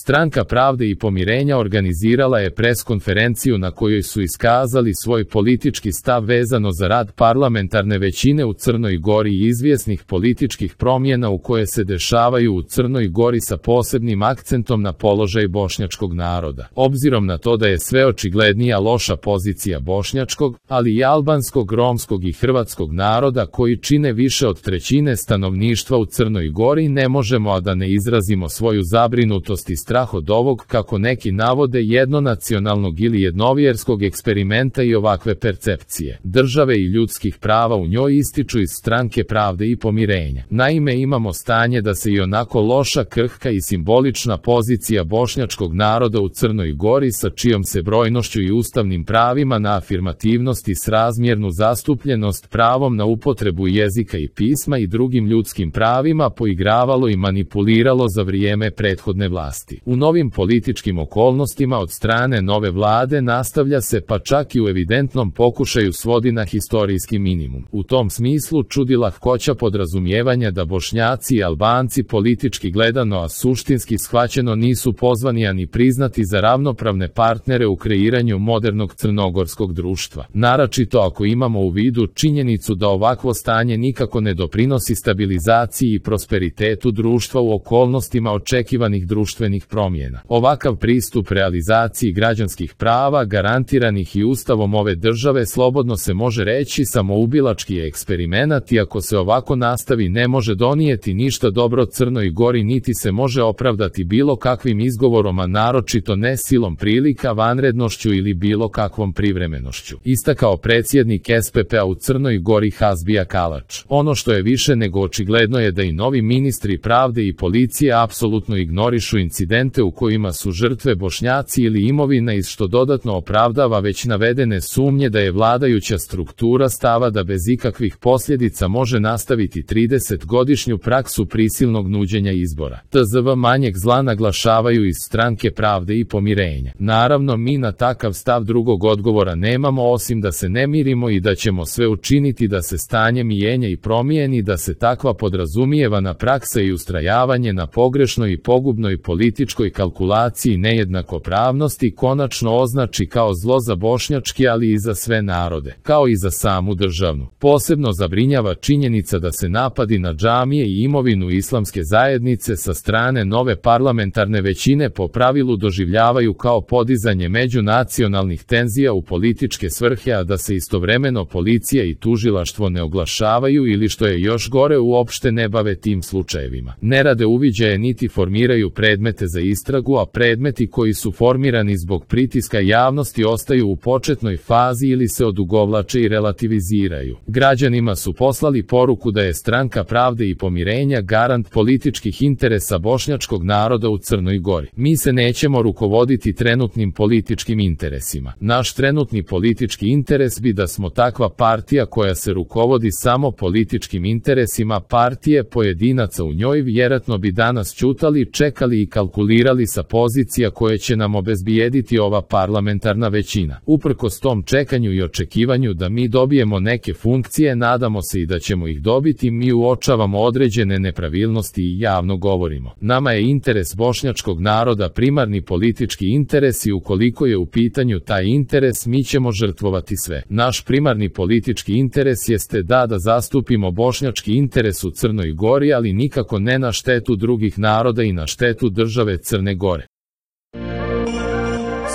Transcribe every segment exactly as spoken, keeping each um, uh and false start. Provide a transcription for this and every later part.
Stranka pravde i pomirenja organizirala je preskonferenciju na kojoj su iskazali svoj politički stav vezano za rad parlamentarne većine u Crnoj Gori i izvjesnih političkih promjena u koje se dešavaju u Crnoj Gori sa posebnim akcentom na položaj bošnjačkog naroda. Obzirom na to da je sve očiglednija loša pozicija bošnjačkog, ali i albanskog, romskog i hrvatskog naroda koji čine više od trećine stanovništva u Crnoj Gori, ne možemo a da ne izrazimo svoju zabrinutost i strah od ovog, kako neki navode, jednonacionalnog ili jednovjerskog eksperimenta i ovakve percepcije države i ljudskih prava u njoj, ističu iz Stranke pravde i pomirenja. Naime, imamo stanje da se i onako loša, krhka i simbolična pozicija bošnjačkog naroda u Crnoj Gori, sa čijom se brojnošću i ustavnim pravima na afirmativnost i srazmjernu zastupljenost, pravom na upotrebu jezika i pisma i drugim ljudskim pravima poigravalo i manipuliralo za vrijeme prethodne vlasti. U novim političkim okolnostima od strane nove vlade nastavlja se, pa čak i u evidentnom pokušaju svodi na historijski minimum. U tom smislu čudi lahkoća podrazumijevanja da Bošnjaci i Albanci politički gledano, a suštinski shvaćeno, nisu pozvani ani priznati za ravnopravne partnere u kreiranju modernog crnogorskog društva. Naročito ako imamo u vidu činjenicu da ovakvo stanje nikako ne doprinosi stabilizaciji i prosperitetu društva u okolnostima očekivanih društvenih promjena. Ovakav pristup realizaciji građanskih prava garantiranih i ustavom ove države slobodno se može reći samoubilački je eksperimenat, i ako se ovako nastavi ne može donijeti ništa dobro Crnoj Gori, niti se može opravdati bilo kakvim izgovorom, a naročito ne silom prilika, vanrednošću ili bilo kakvom privremenošću, istakao predsjednik S P P-a u Crnoj Gori Hasbija Kalač. Ono što je više nego očigledno je da i novi ministri pravde i policije apsolutno ignorišu incidente u kojima su žrtve Bošnjaci ili imovina, iz što dodatno opravdava već navedene sumnje da je vladajuća struktura stava da bez ikakvih posljedica može nastaviti tridesetgodišnju praksu prisilnog nuđenja izbora. T Z V manjeg zla, naglašavaju iz Stranke pravde i pomirenja. Naravno, mi na takav stav drugog odgovora nemamo osim da se ne mirimo i da ćemo sve učiniti da se stanje mijenja i promijeni, da se takva podrazumijevana praksa i ustrajavanje na pogrešnoj i pogubnoj političkoj kalkulaciji nejednakopravnosti konačno označi kao zlo za bošnjački, ali i za sve narode, kao i za samu državnu. Posebno zabrinjava činjenica da se napadi na džamije i imovinu islamske zajednice sa strane nove parlamentarne većine po pravilu doživljavaju kao podizanje međunacionalnih tenzija u političke svrhe, a da se istovremeno policija i tužilaštvo ne oglašavaju ili, što je još gore, uopšte ne bave tim slučajevima. Ne rade uviđaje niti formiraju predmete za istragu, a predmeti koji su formirani zbog pritiska javnosti ostaju u početnoj fazi ili se odugovlače i relativiziraju. Građanima su poslali poruku da je Stranka pravde i pomirenja garant političkih interesa bošnjačkog naroda u Crnoj Gori. Mi se nećemo rukovoditi trenutnim političkim interesima. Naš trenutni politički interes bi da smo takva partija koja se rukovodi samo političkim interesima partije pojedinaca u njoj, vjerojatno bi danas ćutali, čekali i kalkulirali sa pozicija koje će nam obezbijediti ova parlamentarna većina. Uprkos tom čekanju i očekivanju da mi dobijemo neke funkcije, nadamo se i da ćemo ih dobiti, mi uočavamo određene nepravilnosti i javno govorimo. Nama je interes bošnjačkog naroda primarni politički interes i ukoliko je u pitanju taj interes, mi ćemo žrtvovati sve. Naš primarni politički interes jeste da da zastupimo bošnjački interes u Crnoj Gori, ali nikako ne na štetu drugih naroda i na štetu države Crne Gore.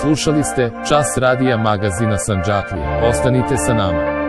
Slušali ste Čas radija magazina Sandžaklije. Ostanite sa nama.